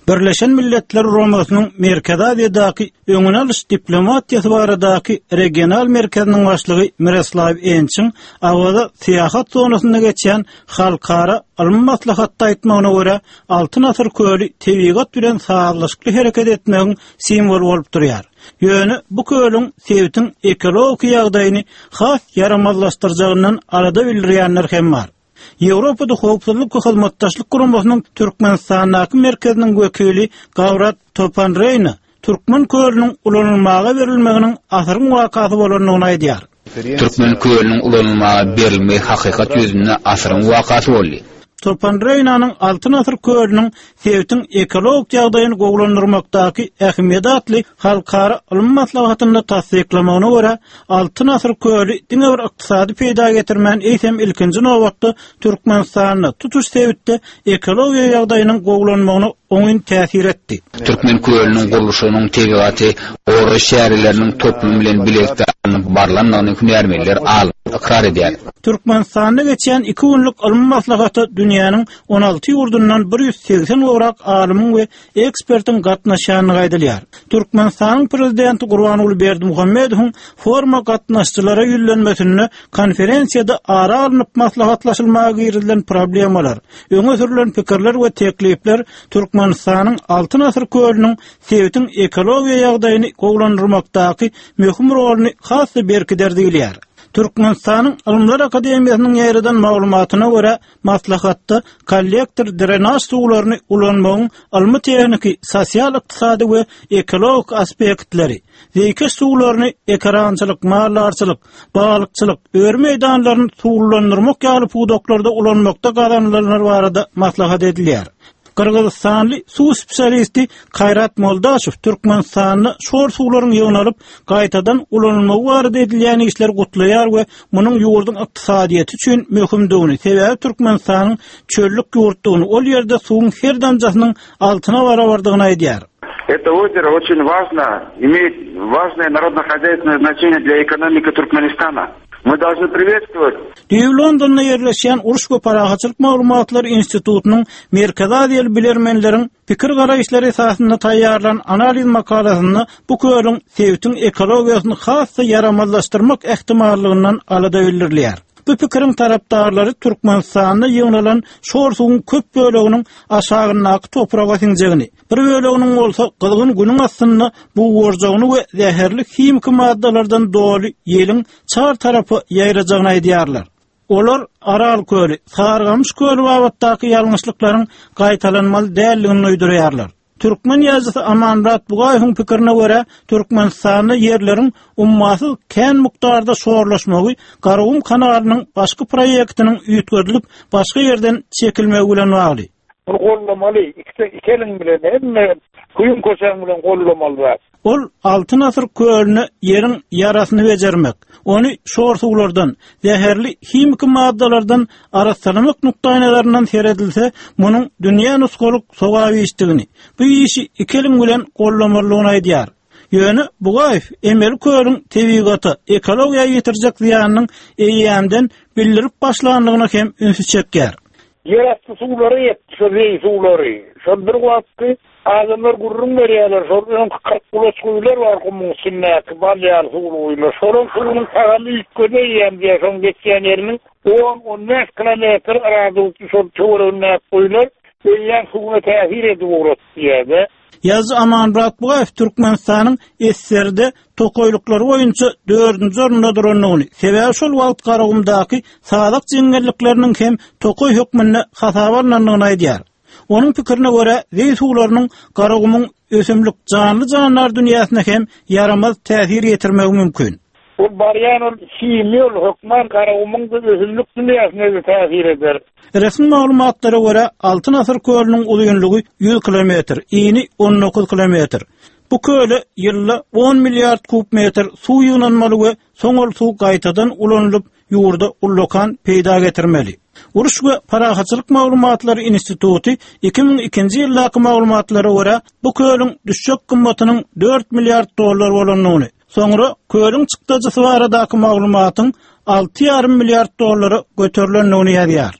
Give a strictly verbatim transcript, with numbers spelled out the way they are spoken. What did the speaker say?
Birleşen Milletler Guramasynyň Merkezi Aziýadaky öňüni alyş diplomatiýasy baradaky regional merkeziniň başlygy Miroslaw Ençiň Awaza syýahat zonasynda geçýän halkara ylmy maslahatda aýtmagyna görä, Altyn asyr köli tebigat bilen sazlaşykly hereket etmegiň simwoly bolup durýar. Ýöne bu kölüň sebitiň ekologik ýagdaýyny has ýaramazlaşdyrjagyndan alada bildirýänler hem bar. Ýewropada Howpsuzlyk we Hyzmatdaşlyk Guramasynyň Türkmenistandaky merkeziniň wekili Gawrat Topanreýna Türkmen kölüniň ulanylmaga berilmeginiň asyryň wakasy bolandygyny aýdýar. Türkmen kölüniň ulanylmaga berilmegi hakykat ýüzünde asyryň wakasy boldy. Topanreýnanyň Altyn asyr kölüniň sebitiň ekologik ýagdaýyny gowulandyrmakdaky ähmiýeti atly halkara ylmy maslahatynda tassyklamagyna görä, Altyn asyr köli diňe bir ykdysady peýda getirmän, eýsem ilkinji nobatda Türkmenistanda, tutuş sebitde ekologiýa ýagdaýynyň gowulanmagyna oňyn täsir etdi. Türkmen kölüniň gurluşygynyň tebigaty goraýyş çäreleriniň toplumy bilen bilelikde alnyp barlandygyny hünärmenler, alymlar ykrar edýär. Türkmenistanda geçýän iki günlük ylmy maslahata dünýäniň on alty ýurdundan bir ýüz segsen gowrak alymyň we ekspertiň gatnaşýandygy aýdylýar. Türkmenistanyň Prezidenti Gurbanguly Berdimuhamedowyň foruma gatnaşyjylara ýüzlenmesinde konferensiýada ara alnyp maslahatlaşylmaga girizilen problemalar, öňe sürülen pikirler we teklipler Türkmenistanyň Altyn asyr kölüniň sebitiň ekologiýa ýagdaýyny gowulandyrmakdaky möhüm roluny has-da berkider diýilýär. Türkmenistanyň Ylymlar Akademiýasynyň ýaýradan maglumatyna görä, maslahatda kollektor drenaž suwlaryny ulanmagyň ylmy-tehniki, sosial-ykdysady we ekologik aspektleri, zeýkeş suwlaryny ekerançylyk, maldarçylyk, balykçylyk, öri meýdanlaryny suwlulandyrmak ýaly pudaklarda ulanmakda gazanylanlar barada maslahat edilýär. Gyrgyzystanly suw spesialisti Kaýrat Moldaşow Türkmenistanda şor suwlaryň ýygnalyp, gaýtadan ulanylmagy barada edilýän işleri gutlaýar we munuň ýurduň ykdysadyýeti üçin möhümdigini, sebäbi Türkmenistanyň çöllük ýurtdugyny, ol ýerde suwuň her damjasynyň altyna barabardygyny aýdýar. Это озеро очень важно, имеет важное народно-хозяйственное значение для экономики Туркменистана. Мы должны приветствовать. Düýbi Londonda ýerleşýän Uruş we parahatçylyk maglumatlary institutynyň Merkezi Aziýaly bilermenleriň pikir garaýyşlary esasynda taýýarlan analiz makalasynda bu kölüň sebitiň ekologiýasyny has-da ýaramazlaşdyrmak ähtimallygyndan alada bildirilýär. Bu pikiriň tarapdarlary Türkmenistanda ýygnalan şor suwuň köp böleginiň aşagyndaky topraga siňjegini, bir böleginiň bolsa gyzgyn günüň astynda bugarjagyny we zäherli himiki maddalardan doly ýeliň çar tarapa ýaýrajagyny aýdýarlar. Olar Aral köli, Sarygamyş köli babatdaky ýalňyşlyklaryň gaýtalanmaly däldigini duýdurýarlar. Türkmen ýazyjysy Amanmyrat Bugaýewiň pikirine görä, Türkmenistanda ýerleriň ummasyz kän mukdarda şorlaşmagy Garagum kanalynyň başky proýektiniň üýtgedilip, başga ýerden çekilmegi bilen bagly. Muny gollamaly, iki, iki eliň bilen, hemme küýüň köşegiň bilen gollamaly zat. Ol Altyn asyr kölüne ýeriň ýarasyny bejermek, ony şor suwlardan, zäherli himiki maddalardan arassalamak nukdaýnazaryndan seredilse, munuň dünýä nusgalyk sogap işdigini, bu işi iki eliň bilen gollamalydygyny aýdýar. Ýöne Bugaýew emeli kölüň tebigata, ekologiýa ýetirjek zyýanynyň eýýämden bildirip başlandygyna hem ünsi çekýär. Ýerasty suwlary ýetdi, şol zeý suwlary. Şol bir wagtky adamlar gürrüň berýärler, şol öňki kyrk gulaç guýular bar gumuň üstündäki bal ýaly suwly guýular. Şolaryň suwunyň tagamy üýtgedi eýýäm diýýär, şoň geçýän ýeriniň on-on bäş kilometr radiusy şol töweregindäki guýular eýýäm suwuna täsir edip ugratdy diýýär-de. Ýazyjy Amanmyrat Bugaýew Türkmenistanyň Esserde tokaýlyklary boýunça dördünji orunda durandygyny, sebäbi şol wagt Garagumdaky sazak jeňňellikleriniň hem tokaý hökmünde hasaba alnandygyny aýdýar. Onuň pikirine görä, zeý suwlarynyň Garagumuň ösümlik janly-jandar dünýäsine hem ýaramaz täsir ýetirmegi mümkin. Ol barýan ol himiýa ol hökman Garagumuň ösümlik dünýäsine-de täsir eder. Resmi maglumatlara görä, Altyn asyr kölüniň uzynlygy ýüz kilometr, ini on dokuz kilometr. Bu köle ýylda on milliard kub metr suw ýygnanmaly we soň ol suw gaýtadan ulanylyp, ýurda ullakan peýda getirmeli. Uruş we parahatçylyk maglumatlary instituty iki müň ikinji ýyldaky maglumatlara görä, bu kölüň düşjek gymmatynyň dört milliard dollar bolandygyny, soňra kölüň çykdajysy baradaky maglumatyň alty ýarym milliard dollara göterilendigini ýazýar.